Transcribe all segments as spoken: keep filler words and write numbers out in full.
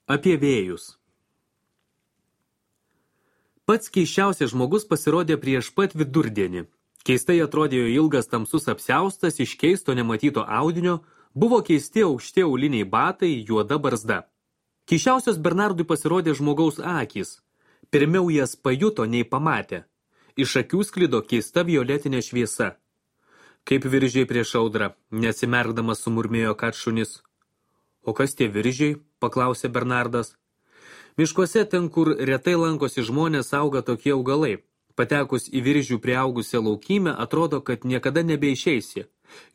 Apie vėjus. Pats keisčiausias žmogus pasirodė prieš pat vidurdienį. Keistai atrodė jo ilgas tamsus apsiaustas iš keisto nematyto audinio, buvo keisti aukšti auliniai batai, juoda barzda. Keisčiausias Bernardui pasirodė žmogaus akys. Pirmiau jas pajuto, nei pamatė. Iš akių sklido keista violetinė šviesa. Kaip viržiai prieš audrą, neatsimerkdamas sumurmėjo Katšunis. O kas tie viržiai? Paklausė Bernardas. Miškuose ten, kur retai lankosi žmonės, auga tokie augalai. Patekus į viržių priaugusią laukymę, atrodo, kad niekada nebeišeisi.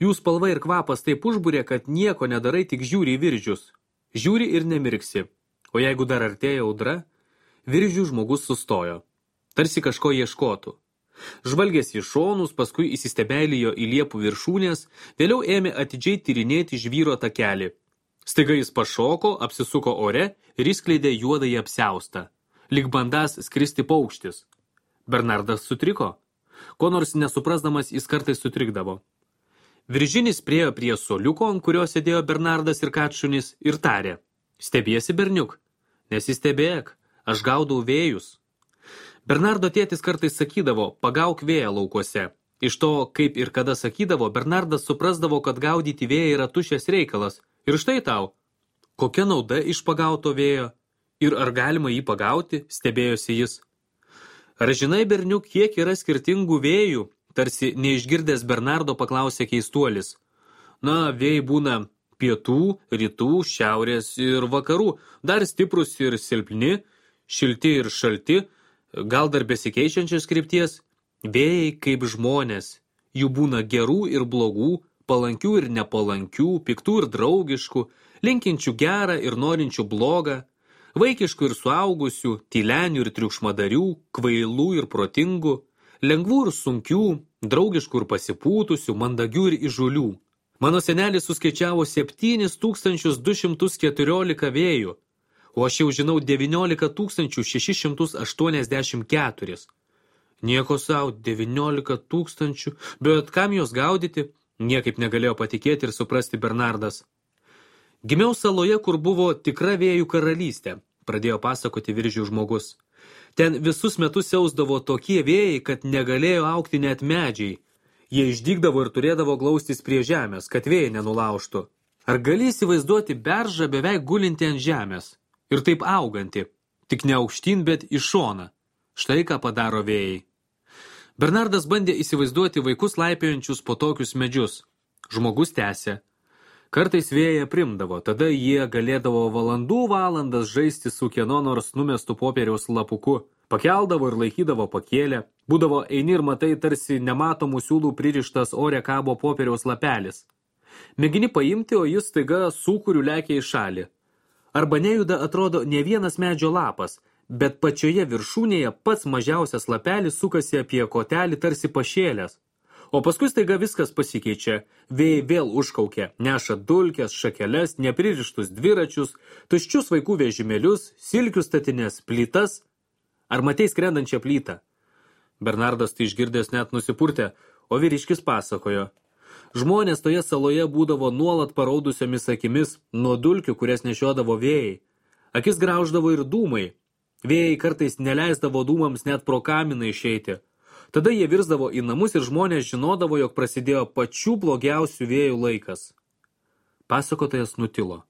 Jų spalva ir kvapas taip užbūrė, kad nieko nedarai, tik žiūri į viržius. Žiūri ir nemirksi. O jeigu dar artėja audra, viržių žmogus sustojo. Tarsi kažko ieškotų. Žvalgės į šonus, paskui įsistebeilijo į liepų viršūnės, vėliau ėmė atidžiai tyrinėti žvyro takelį. Staiga jis pašoko, apsisuko ore ir įskleidė juodąjį apsiaustą. Lyg bandas skristi paukštis. Bernardas sutriko. Ko nors nesuprasdamas jis kartais sutrikdavo. Viržinis priėjo prie soliuko, ant kurio sėdėjo Bernardas ir Katšunis, ir tarė. Stebiesi, berniuk? Nesistebėk, aš gaudau vėjus. Bernardo tėtis kartais sakydavo, pagauk vėją laukuose. Iš to, kaip ir kada sakydavo, Bernardas suprasdavo, kad gaudyti vėją yra tuščias reikalas. Ir štai tau, kokia nauda iš pagauto vėjo? Ir ar galima jį pagauti, stebėjosi jis. Ar žinai, berniuk, kiek yra skirtingų vėjų? Tarsi neišgirdęs Bernardo paklausė keistuolis. Na, vėjai būna pietų, rytų, šiaurės ir vakarų, dar stiprus ir silpni, šilti ir šalti, gal dar besikeičiančios krypties. Vėjai kaip žmonės, jų būna gerų ir blogų, palankių ir nepalankių, piktų ir draugiškų, linkinčių gerą ir norinčių blogą, vaikiškų ir suaugusių, tylenių ir triukšmadarių, kvailų ir protingų, lengvų ir sunkių, draugiškų ir pasipūtusių, mandagių ir įžulių. Mano senelis suskaičiavo septynis tūkstančius du šimtus keturiolika vėjų, o aš jau žinau devyniolika tūkstančių šešis šimtus aštuoniasdešimt keturis. Nieko sau, devyniolika tūkstančių, bet kam jos gaudyti? Niekaip negalėjo patikėti ir suprasti Bernardas. Gimiau saloje, kur buvo tikra vėjų karalystė, pradėjo pasakoti viržių žmogus. Ten visus metus siausdavo tokie vėjai, kad negalėjo augti net medžiai. Jie išdygdavo ir turėdavo glaustis prie žemės, kad vėjai nenulaužtų. Ar gali įsivaizduoti beržą beveik gulinti ant žemės? Ir taip auganti, tik ne aukštyn, bet į šoną. Štai ką padaro vėjai. Bernardas bandė įsivaizduoti vaikus laipiojančius po tokius medžius. Žmogus tęsė. Kartais vėją primdavo, tada jie galėdavo valandų valandas žaisti su kieno nors numestų popieriaus lapuku. Pakeldavo ir laikydavo pakėlę. Būdavo eini ir matai tarsi nematomų siūlų pririštas ore kabo popieriaus lapelis. Mėgini paimti, o jis staiga sūkuriu lekia į šalį. Arba nejuda atrodo ne vienas medžio lapas, bet pačioje viršūnėje pats mažiausias lapelis sukasi apie kotelį tarsi pašėlės. O paskui staiga viskas pasikeičia, vėjai vėl užkaukia, neša dulkes, šakeles, nepririštus dviračius, tuščius vaikų vežimėlius, silkių statines, plytas. Ar matei skrendančią plytą? Bernardas tai išgirdęs net nusipurtė, o vyriškis pasakojo. Žmonės toje saloje būdavo nuolat paraudusiomis akimis nuo dulkių, kurias nešiodavo vėjai. Akis grauždavo ir dūmai. Vėjai kartais neleisdavo dūmams net pro kaminą išeiti. Tada jie virsdavo į namus ir žmonės žinodavo, jog prasidėjo pačių blogiausių vėjų laikas. Pasakotojas nutilo.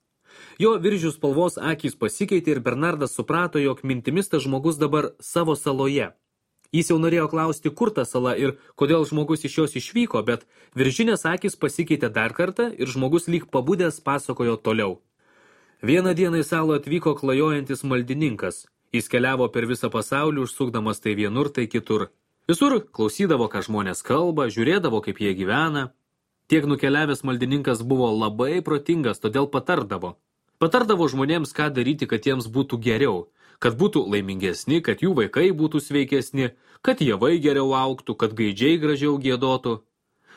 Jo viržių spalvos akys pasikeitė ir Bernardas suprato, jog mintimis tas žmogus dabar savo saloje. Jis jau norėjo klausti, kur ta sala ir kodėl žmogus iš jos išvyko, bet viržinės akys pasikeitė dar kartą ir žmogus lyg pabudęs pasakojo toliau. Vieną dieną į salą atvyko klajojantis maldininkas. Jis keliavo per visą pasaulį, užsukdamas tai vienur, tai kitur. Visur klausydavo, ką žmonės kalba, žiūrėdavo, kaip jie gyvena. Tiek nukeliavęs maldininkas buvo labai protingas, todėl patardavo. Patardavo žmonėms, ką daryti, kad jiems būtų geriau, kad būtų laimingesni, kad jų vaikai būtų sveikesni, kad javai geriau augtų, kad gaidžiai gražiau giedotų.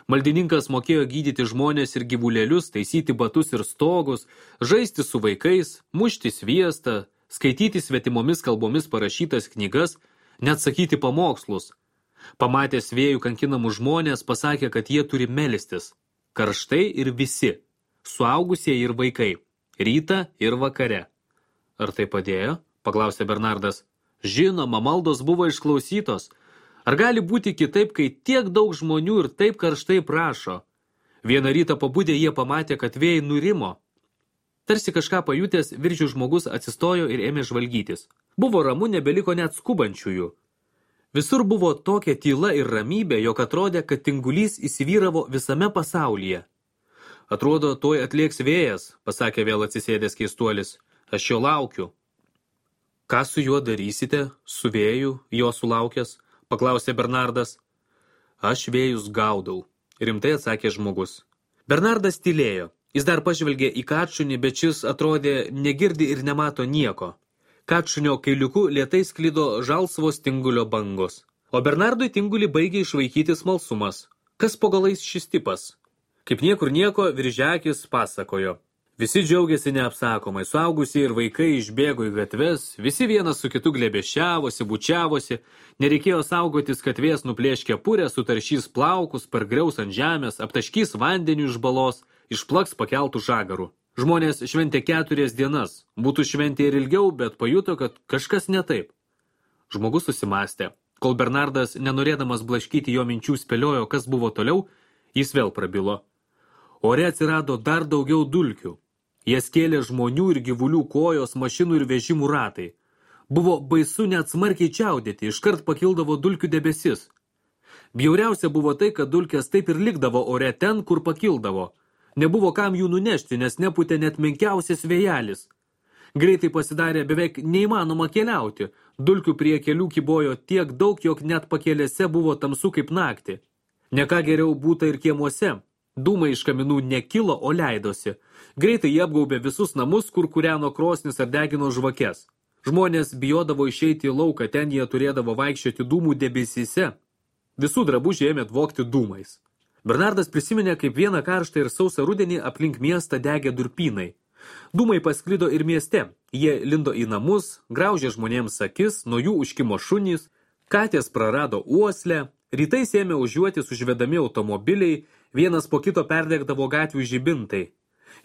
Maldininkas mokėjo gydyti žmonės ir gyvulėlius, taisyti batus ir stogus, žaisti su vaikais, mušti sviestą, skaityti svetimomis kalbomis parašytas knygas, net sakyti pamokslus. Pamatęs vėjų kankinamus žmonės, pasakė, kad jie turi melstis. Karštai ir visi, suaugusieji ir vaikai, rytą ir vakare. Ar tai padėjo? Paklausė Bernardas. Žinoma, maldos buvo išklausytos. Ar gali būti kitaip, kai tiek daug žmonių ir taip karštai prašo? Vieną rytą pabudę jie pamatė, kad vėjai nurimo. Tarsi kažką pajutęs, viržių žmogus atsistojo ir ėmė žvalgytis. Buvo ramu, nebeliko net skubančiųjų. Visur buvo tokia tyla ir ramybė, jog atrodė, kad tingulys įsivyravo visame pasaulyje. Atrodo, tuoj atlėks vėjas, pasakė vėl atsisėdęs keistuolis. Aš jo laukiu. Ką su juo darysite, su vėju, jo sulaukęs? Paklausė Bernardas. Aš vėjus gaudau, rimtai atsakė žmogus. Bernardas tylėjo. Jis dar pažvelgė į kačunį, bet šis atrodė negirdi ir nemato nieko. Kačunio kailiuku lėtai sklido žalsvos tingulio bangos. O Bernardui tingulį baigė išvaikyti smalsumas. Kas po galais šis tipas? Kaip niekur nieko, Viržiakis pasakojo. Visi džiaugiasi neapsakomai, suaugusiai ir vaikai išbėgo į gatves, visi vienas su kitu glėbėšiavosi, bučiavosi, nereikėjo saugotis, kad vėjas nuplėš kepurę, sutaršys plaukus, pargriaus ant žemės, aptaškys vandeniu iš balos, išplaks pakeltų žagarų. Žmonės šventė keturias dienas, būtų šventė ir ilgiau, bet pajuto, kad kažkas ne taip. Žmogus susimastė. Kol Bernardas, nenorėdamas blaškyti jo minčių, spėliojo, kas buvo toliau, jis vėl prabilo. Ore atsirado dar daugiau dulkių. Jas kėlė žmonių ir gyvulių kojos, mašinų ir vežimų ratai. Buvo baisu net smarkiai čiaudėti, iškart pakildavo dulkių debesis. Bjauriausia buvo tai, kad dulkės taip ir likdavo ore ten, kur pakildavo. Nebuvo kam jų nunešti, nes nepūtė net menkiausias vėjelis. Greitai pasidarė beveik neįmanoma keliauti. Dulkių prie kelių kybojo tiek daug, jog net pakelėse buvo tamsu kaip naktį. Ne ką geriau būta ir kiemuose. Dūmai iš kaminų nekilo, o leidosi. Greitai jie apgaubė visus namus, kur kūreno krosnis ar degino žvakes. Žmonės bijodavo išeiti į lauką, ten jie turėdavo vaikščioti dūmų debesyse. Visų drabužiai ėmė tvokti dūmais. Bernardas prisiminė, kaip vieną karštą ir sausą rudenį aplink miestą degė durpynai. Dūmai pasklido ir mieste. Jie lindo į namus, graužė žmonėms akis, nuo jų užkimo šunys, katės prarado uoslę, rytais ėmė užjuotis užvedami automobiliai, vienas po kito perdegdavo gatvių žibintai.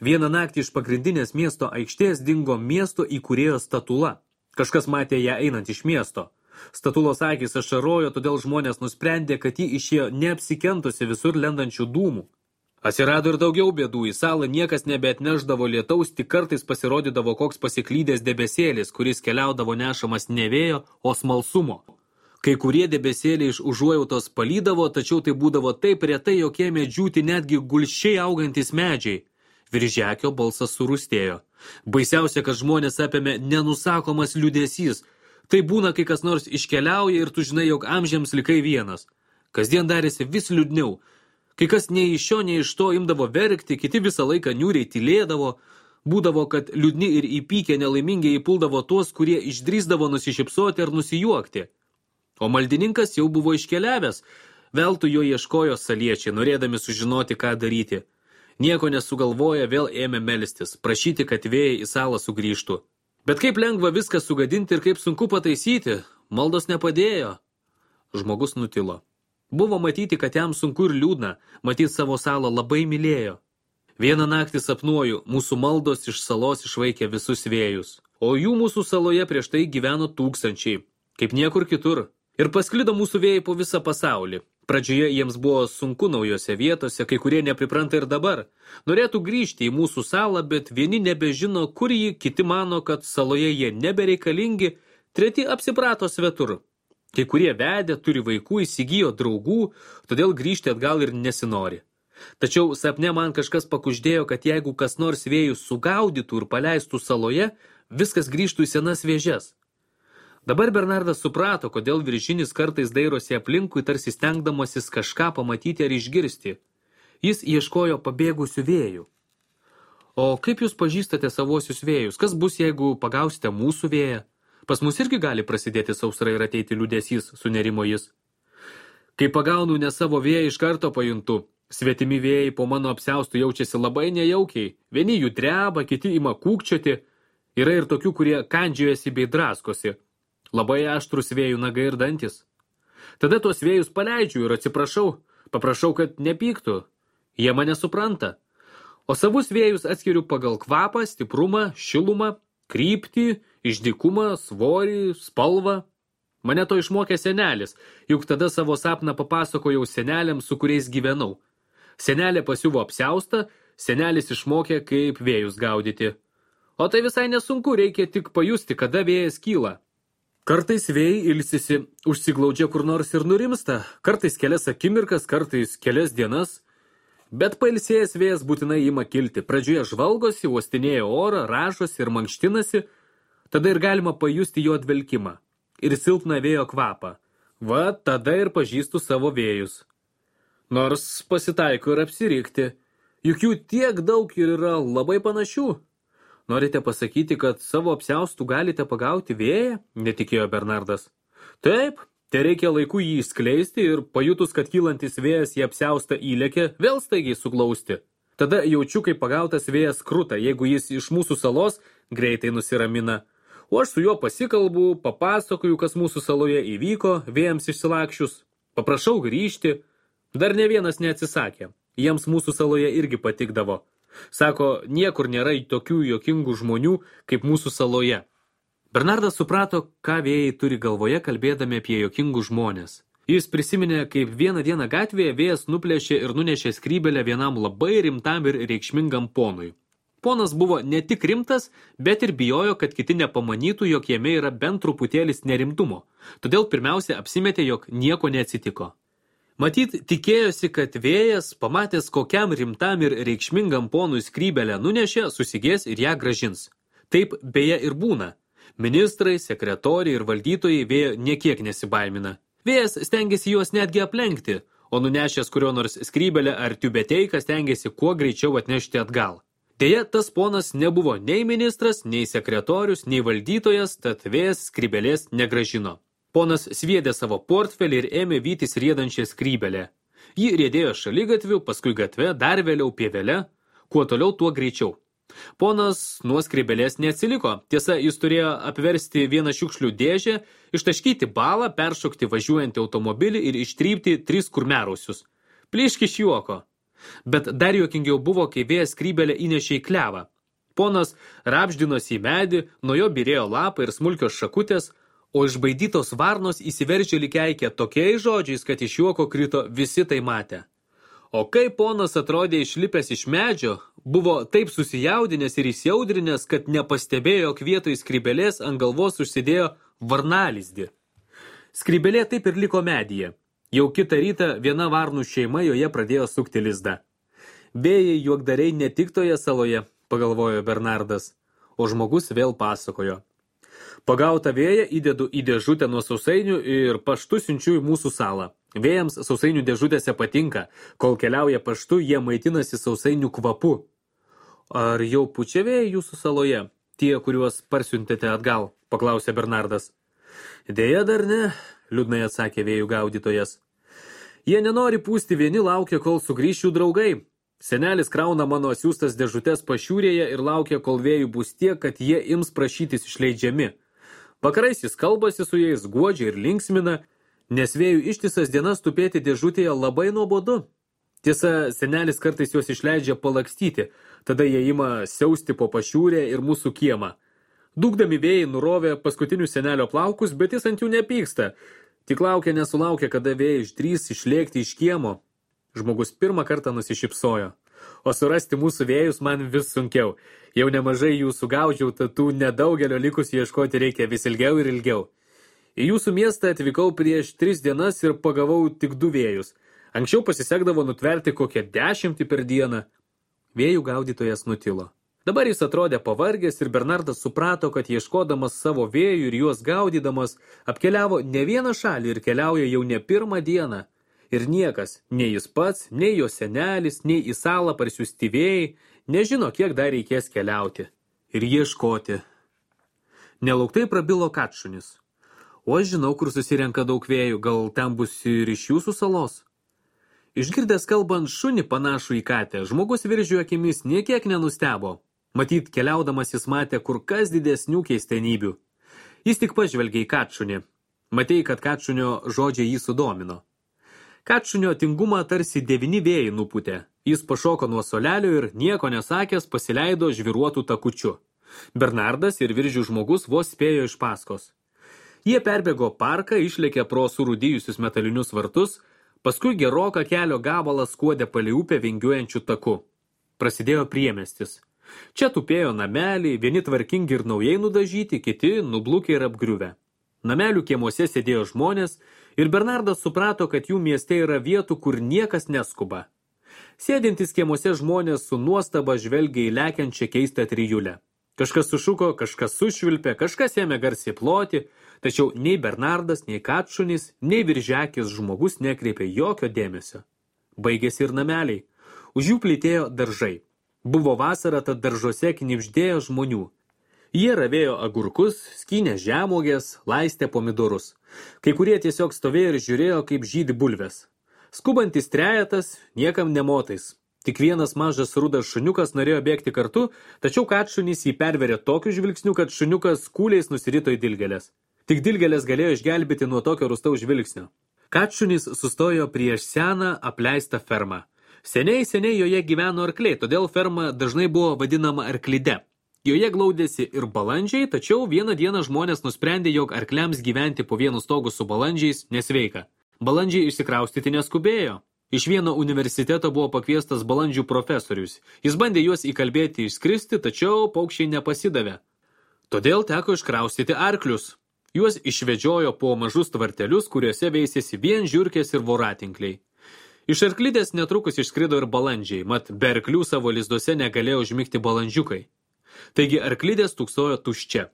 Vieną naktį iš pagrindinės miesto aikštės dingo miesto įkūrėjo statula. Kažkas matė ją einant iš miesto. Statulos akys ašarojo, todėl žmonės nusprendė, kad ji išėjo neapsikentusi visur lendančių dūmų. Atsirado ir daugiau bėdų, į salą niekas nebeatneždavo lietaus, tik kartais pasirodydavo koks pasiklydęs debesėlis, kuris keliaudavo nešamas ne vėjo, o smalsumo. Kai kurie debesėliai iš užuojautos palydavo, tačiau tai būdavo taip retai, jog ėmė džiūti netgi gulsčiai augantis medžiai. Viržiakio balsas surūstėjo. Baisiausia, kad žmonės apėmė nenusakomas liūdesys. Tai būna, kai kas nors iškeliauja ir tu žinai, jog amžiams likai vienas. Kasdien darėsi vis liūdniau. Kai kas nei iš šio, nei iš to imdavo verkti, kiti visą laiką niūriai tylėdavo. Būdavo, kad liūdni ir įpykę nelaimingiai įpuldavo tuos, kurie išdrįsdavo nusišypsoti ar nusijuokti. O maldininkas jau buvo iškeliavęs. Veltui jo ieškojo saliečiai, norėdami sužinoti, ką daryti. Nieko nesugalvoja, vėl ėmė melstis, prašyti, kad vėjai į salą sugrįžtų. Bet kaip lengva viską sugadinti ir kaip sunku pataisyti, maldos nepadėjo. Žmogus nutilo. Buvo matyti, kad jam sunku ir liūdna, matyti savo salą labai mylėjo. Vieną naktį sapnuoju, mūsų maldos iš salos išvaikė visus vėjus. O jų mūsų saloje prieš tai gyveno tūkstančiai, kaip niekur kitur. Ir pasklido mūsų vėjai po visą pasaulį. Pradžioje jiems buvo sunku naujose vietose, kai kurie nepripranta ir dabar. Norėtų grįžti į mūsų salą, bet vieni nebežino, kur jį, kiti mano, kad saloje jie nebereikalingi, treti apsiprato svetur. Kai kurie vedė, turi vaikų, įsigijo draugų, todėl grįžti atgal ir nesinori. Tačiau sapne man kažkas pakuždėjo, kad jeigu kas nors vėjus sugaudytų ir paleistų saloje, viskas grįžtų į senas vėžes. Dabar Bernardas suprato, kodėl Viržinis kartais dairosi aplinkui, tarsi stengdamasis kažką pamatyti ar išgirsti. Jis ieškojo pabėgusių vėjų. O kaip jūs pažįstate savosius vėjus? Kas bus, jeigu pagausite mūsų vėją? Pas mus irgi gali prasidėti sausra ir ateiti liūdesys, sunerimo jis. Kai pagaunu ne savo vėją, iš karto pajuntu. Svetimi vėjai po mano apsiaustų jaučiasi labai nejaukiai. Vieni jų dreba, kiti ima kūkčioti. Yra ir tokių, kurie kandžiojasi bei draskosi. Labai aštrus vėjų nagai ir dantis. Tada tuos vėjus paleidžiu ir atsiprašau, paprašau, kad nepyktų. Jie mane supranta. O savus vėjus atskiriu pagal kvapą, stiprumą, šilumą. kryptį, išdykumą, svorį, spalvą. Mane to išmokė senelis, juk tada savo sapną papasakojau seneliams, su kuriais gyvenau. Senelė pasiuvo apsiaustą, senelis išmokė, kaip vėjus gaudyti. O tai visai nesunku, reikia tik pajusti, kada vėjas kyla. Kartais vėjai ilsisi, užsiglaudžia kur nors ir nurimsta, kartais kelias akimirkas, kartais kelias dienas. Bet pailsėjęs vėjas būtinai ima kilti. Pradžioje žvalgosi, uostinėja orą, ražosi ir mankštinasi, tada ir galima pajusti jo dvelkimą ir silpną vėjo kvapą. Va, tada ir pažįstu savo vėjus. Nors pasitaiko ir apsirikti, juk jų tiek daug ir yra labai panašių. Norite pasakyti, kad savo apsiaustų galite pagauti vėją? Netikėjo Bernardas. Taip, tai reikia laiku jį išskleisti ir pajutus, kad kylantis vėjas į apsiaustą įlėkė, vėl staigiai suglausti. Tada jaučiu, kaip pagautas vėjas kruta, jeigu jis iš mūsų salos greitai nusiramina. O aš su juo pasikalbu, papasakoju, kas mūsų saloje įvyko, vėjams išsilakšius. Paprašau grįžti. Dar ne vienas neatsisakė. Jiems mūsų saloje irgi patikdavo. Sako, niekur nėra tokių juokingų žmonių, kaip mūsų saloje. Bernardas suprato, ką vėjai turi galvoje, kalbėdami apie juokingus žmonės. Jis prisiminė, kaip vieną dieną gatvėje vėjas nuplėšė ir nunešė skrybelę vienam labai rimtam ir reikšmingam ponui. Ponas buvo ne tik rimtas, bet ir bijojo, kad kiti nepamanytų, jog jame yra bent truputėlis nerimtumo. Todėl pirmiausia apsimetė, jog nieko neatsitiko. Matyt, tikėjosi, kad vėjas, pamatęs kokiam rimtam ir reikšmingam ponui skrybelę nunešė, susigės ir ją gražins. Taip beje ir būna. Ministrai, sekretoriai ir valdytojai vėjo niekiek nesibaimina. Vėjas stengiasi juos netgi aplenkti, o nunešęs kurio nors skrybelę ar tiubeteiką stengiasi kuo greičiau atnešti atgal. Deja, tas ponas nebuvo nei ministras, nei sekretorius, nei valdytojas, tad vėjas skrybelės negražino. Ponas sviedė savo portfelį ir ėmė vytis riedančią skrybelę. Ji riedėjo šaligatviu, paskui gatve, dar vėliau pievele, kuo toliau, tuo greičiau. Ponas nuo skrybelės neatsiliko, tiesa, jis turėjo apversti vieną šiukšlių dėžę, ištaškyti balą, peršokti važiuojantį automobilį ir ištrypti tris kurmiarausius. Plyški iš juoko. Bet dar juokingiau buvo, kai vėjas skrybelę įnešė į klevą. Ponas rapždinosi į medį, nuo jo byrėjo lapai ir smulkios šakutės, o išbaidytos varnos įsiveržė lyg keikė tokiais žodžiais, kad iš juoko krito visi tai matę. O kai ponas atrodė išlipęs iš medžio, buvo taip susijaudinęs ir įsiaudrinęs, kad nepastebėjo, jog vietoj skrybelės ant galvos užsidėjo varnalizdį. Skrybelė taip ir liko medyje. Jau kitą rytą viena varnų šeima joje pradėjo sukti lizdą. Vėjai juokdariai ne tik toje saloje, pagalvojo Bernardas, o žmogus vėl pasakojo. Pagautą vėją įdedu į dėžutę nuo sausainių ir paštu siunčiu į mūsų salą. Vėjams sausainių dėžutėse patinka, kol keliauja paštu, jie maitinasi sausainių kvapu. Ar jau pučia vėjai jūsų saloje, tie, kuriuos parsiuntėte atgal, paklausė Bernardas. Deja dar ne, liūdnai atsakė vėjų gaudytojas. Jie nenori pūsti, vieni laukia, kol sugrįš jų draugai. Senelis krauna mano siūstas dėžutės pašiūrėje ir laukia, kol vėjų bus tiek, kad jie ims prašytis išleidžiami. Vakarais jis kalbasi su jais, guodžia ir linksmina, nes vėjų ištisas dienas tupėti dėžutėje labai nuobodu. Tiesa, senelis kartais juos išleidžia palakstyti, tada jie ima siausti po pašiūrę ir mūsų kiemą. Dūkdami vėjai nurovė paskutinius senelio plaukus, bet jis ant jų nepyksta. Tik laukia nesulaukia, kada vėjai išdrys išlėkti iš kiemo. Žmogus pirmą kartą nusišypsojo. O surasti mūsų vėjus man vis sunkiau. Jau nemažai jų sugaudžiau, tad tų nedaugelio likusių ieškoti reikia vis ilgiau ir ilgiau. Į jūsų miestą atvykau prieš tris dienas ir pagavau tik du vėjus. Anksčiau pasisekdavo nutverti kokią dešimtį per dieną. Vėjų gaudytojas nutilo. Dabar jis atrodė pavargęs ir Bernardas suprato, kad ieškodamas savo vėjų ir juos gaudydamas, apkeliavo ne vieną šalį ir keliauja jau ne pirmą dieną. Ir niekas, nei jis pats, nei jo senelis, nei į salą parsiųsti vėjai, nežino, kiek dar reikės keliauti ir ieškoti. Nelauktai prabilo Katšunis. O aš žinau, kur susirenka daug vėjų, gal ten bus ir iš jūsų salos? Išgirdęs kalbant šunį panašų į katę, žmogus Viržio akimis niekiek nenustebo. Matyt, keliaudamas jis matė kur kas didesnių keistenybių. Jis tik pažvelgė į Katšunį. Matei, kad Katšunio žodžiai jį sudomino. Katšunio tingumą tarsi devyni vėjai nupūtė. Jis pašoko nuo solelio ir nieko nesakęs pasileido žviruotų takučiu. Bernardas ir Viržių žmogus vos spėjo iš paskos. Jie perbėgo parką, išlėkė pro surūdijusius metalinius vartus, paskui geroką kelio gabalą skuodė palei upę vingiuojančių taku. Prasidėjo priemiestis. Čia tupėjo nameliai, vieni tvarkingi ir naujai nudažyti, kiti nublūkę ir apgriuvę. Namelių kiemuose sėdėjo žmonės ir Bernardas suprato, kad jų mieste yra vietų, kur niekas neskuba. Sėdintys kiemuose žmonės su nuostaba žvelgia į lekiančią keistą trijulę. Kažkas sušuko, kažkas sušvilpė, kažkas ėmė garsiai ploti, tačiau nei Bernardas, nei Katšunis, nei Viržekis žmogus nekreipė jokio dėmesio. Baigėsi ir nameliai. Už jų plytėjo daržai. Buvo vasara, tad daržuose knibždėjo žmonių. Jie ravėjo agurkus, skynė žemuogės, laistė pomidorus. Kai kurie tiesiog stovėjo ir žiūrėjo, kaip žydi bulvės. Skubantis trejetas niekam nemotais. Tik vienas mažas rudas šuniukas norėjo bėgti kartu, tačiau Katšunis jį perverė tokiu žvilgsniu, kad šuniukas kūliais nusirito į dilgėlės. Tik dilgėlės galėjo išgelbėti nuo tokio rūstaus žvilgsnio. Katšunis sustojo prieš seną apleistą fermą. Seniai, seniai joje gyveno arkliai, todėl ferma dažnai buvo vadinama arklide. Joje glaudėsi ir balandžiai, tačiau vieną dieną žmonės nusprendė, jog arkliams gyventi po vienu stogu su balandžiais nesveika. Balandžiai išsikraustyti neskubėjo. Iš vieno universiteto buvo pakviestas balandžių profesorius. Jis bandė juos įkalbėti išskristi, tačiau paukščiai nepasidavė. Todėl teko iškraustyti arklius. Juos išvedžiojo po mažus tvartelius, kuriuose veisėsi vien žiurkės ir voratinkliai. Iš arklidės netrukus išskrido ir balandžiai, mat be arklių savo lizduose negalėjo užmigti balandžiukai. Taigi arklidės tūksojo tuščia.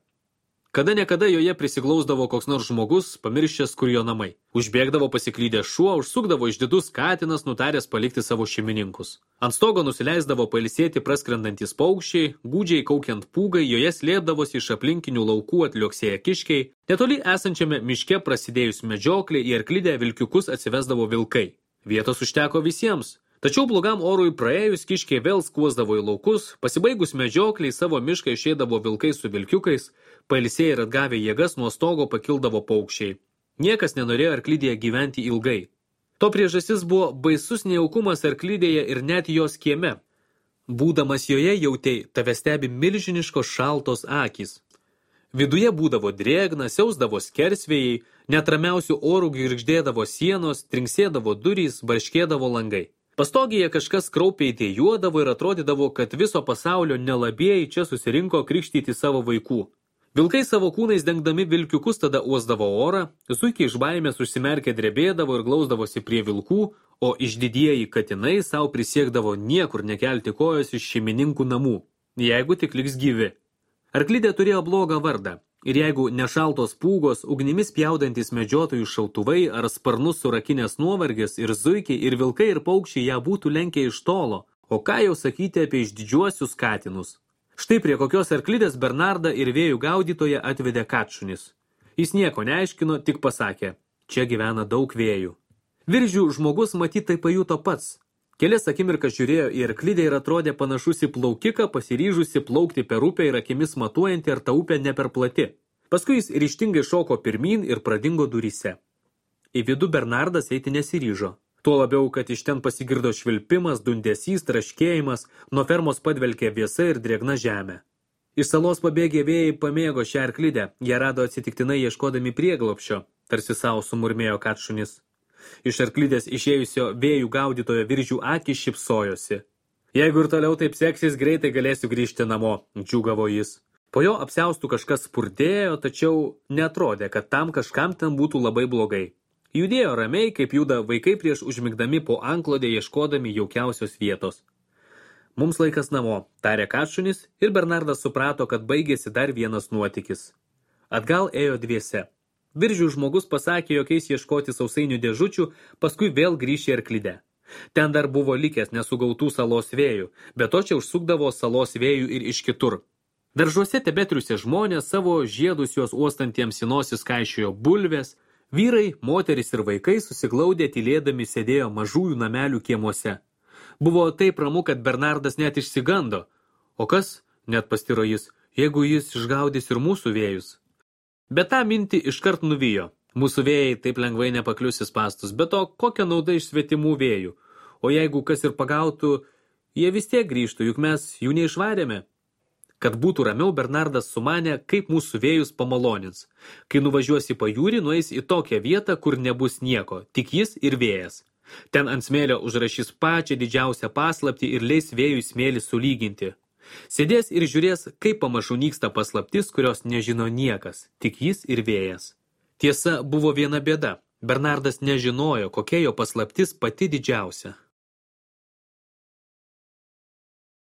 Kada nekada joje prisiglausdavo koks nors žmogus, pamiršęs, kur jo namai. Užbėgdavo pasiklydęs šuo, užsukdavo išdidus katinas, nutaręs palikti savo šeimininkus. Ant stogo nusileisdavo pailsėti praskrendantis paukščiai, gūdžiai kaukiant pūgai, joje slėpdavosi iš aplinkinių laukų atliuoksėję kiškiai. Netoli esančiame miške prasidėjus medžioklė į arklidę vilkiukus atsivesdavo vilkai. Vietos užteko visiems. Tačiau blogam orui praėjus kiškiai vėl skuosdavo į laukus, pasibaigus medžiokliai savo mišką išeidavo vilkai su vilkiukais, pailsėję ir atgavę jėgas nuo stogo pakildavo paukščiai. Niekas nenorėjo arklidėje gyventi ilgai. To priežastis buvo baisus nejaukumas arklidėje ir net jos kieme. Būdamas joje jautei, tave stebi milžiniškos šaltos akys. Viduje būdavo drėgna, siausdavo skersvėjai, netramiausių orų girgždėdavo sienos, trinksėdavo durys, barškėdavo langai. Pastogėje kažkas kraupiai dėjuodavo ir atrodydavo, kad viso pasaulio nelabėjai čia susirinko krikštyti savo vaikų. Vilkai savo kūnais dengdami vilkiukus tada uosdavo orą, zuikiai iš baimės užsimerkę drebėdavo ir glausdavosi prie vilkų, o išdidieji katinai savo prisiekdavo niekur nekelti kojos iš šeimininkų namų, jeigu tik liks gyvi. Arklidė turėjo blogą vardą. Ir jeigu nešaltos pūgos, ugnimis pjaudantis medžiotojų šautuvai ar sparnus surakinės nuovargis ir zuikiai ir vilkai ir paukščiai ją būtų lenkę iš tolo, o ką jau sakyti apie išdidžiuosius katinus. Štai prie kokios arklidės Bernardą ir vėjų gaudytoje atvedė Katšunis. Jis nieko neaiškino, tik pasakė, čia gyvena daug vėjų. Viržių žmogus matyt tai pajuto pats. Kelias akimirkas žiūrėjo į arklidę ir atrodė panašus į plaukiką, pasiryžusi plaukti per upę ir akimis matuojantį, ar ta upė ne per plati. Paskui jis ryžtingai šoko pirmyn ir pradingo duryse. Į vidų Bernardas eiti nesiryžo. Tuo labiau, kad iš ten pasigirdo švilpimas, dundesys, traškėjimas, nuo fermos padvelkė vėsa ir drėgna žemė. Iš salos pabėgę vėjai pamėgo šią arklidę, ją rado atsitiktinai ieškodami prieglobsčio, tarsi savo sumurmėjo Katšunis. Iš arklidės išėjusio vėjų gaudytojo Viržių akys šypsojosi. Jeigu ir toliau taip seksis, greitai galėsiu grįžti namo, džiūgavo jis. Po jo apsiaustų kažkas spurdėjo, tačiau netrodė, kad tam kažkam ten būtų labai blogai. Judėjo ramiai, kaip juda vaikai prieš užmigdami po antklodę ieškodami jaukiausios vietos. Mums laikas namo, tarė Katšunis ir Bernardas suprato, kad baigėsi dar vienas nuotykis. Atgal ėjo dviese. Viržių žmogus pasakė, jog eis ieškoti sausainių dėžučių, paskui vėl grįš į arklidę. Ten dar buvo likęs nesugautų salos vėjų, bet to čia užsukdavo salos vėjų ir iš kitur. Daržuose tebetriusė žmonės, savo žiedus juos uostantiems į nosis kaišiojo bulvės, vyrai, moteris ir vaikai susiglaudę tylėdami sėdėjo mažųjų namelių kiemuose. Buvo taip ramu, kad Bernardas net išsigando. O kas, net pastiro jis, jeigu jis išgaudys ir mūsų vėjus? Bet tą mintį iškart nuvijo. Mūsų vėjai taip lengvai nepaklius į spastus, bet to kokia nauda iš svetimų vėjų. O jeigu kas ir pagautų, jie vis tiek grįžtų, juk mes jų neišvarėme. Kad būtų ramiau, Bernardas sumanė, kaip mūsų vėjus pamalonins. Kai nuvažiuos į pajūrį, nueis į tokią vietą, kur nebus nieko, tik jis ir vėjas. Ten ant smėlio užrašys pačią didžiausią paslaptį ir leis vėjui smėlį sulyginti. Sėdės ir žiūrės, kaip pamažu nyksta paslaptis, kurios nežino niekas, tik jis ir vėjas. Tiesa, buvo viena bėda. Bernardas nežinojo, kokia jo paslaptis pati didžiausia.